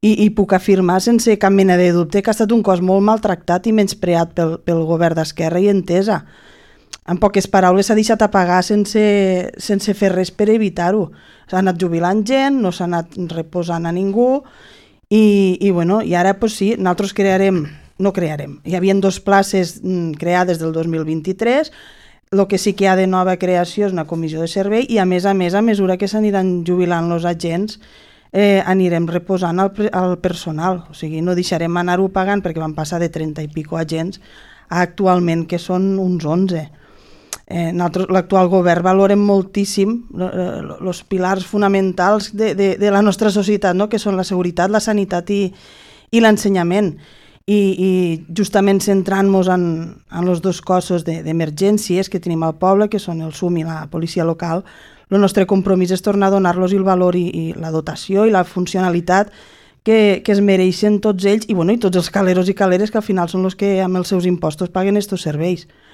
i puc afirmar sense cap mena de dubte que ha estat un cos molt maltractat i menyspreat pel govern d'Esquerra i Entesa. En poques paraules, s'ha deixat apagar sense fer res per evitar-ho. S'ha anat jubilant gent, no s'ha anat reposant a ningú i ara sí, nosaltres no crearem. Hi havia 2 places creades del 2023, el que sí que hi ha de nova creació és una comissió de servei i a mesura que s'aniran jubilant els agents, anirem reposant el personal, o sigui, no deixarem anar-ho pagant perquè van passar de 30 i pico agents a actualment que són uns 11. L'actual govern valorem moltíssim els pilars fonamentals de la nostra societat, no? Que són la seguretat, la sanitat i l'ensenyament. I justament centrant-nos en els 2 cossos d'emergències que tenim al poble, que són el SUM i la policia local, el nostre compromís és tornar a donar-los el valor i la dotació i la funcionalitat que es mereixen tots ells i tots els caleros i caleres que al final són els que amb els seus impostos paguen aquests serveis.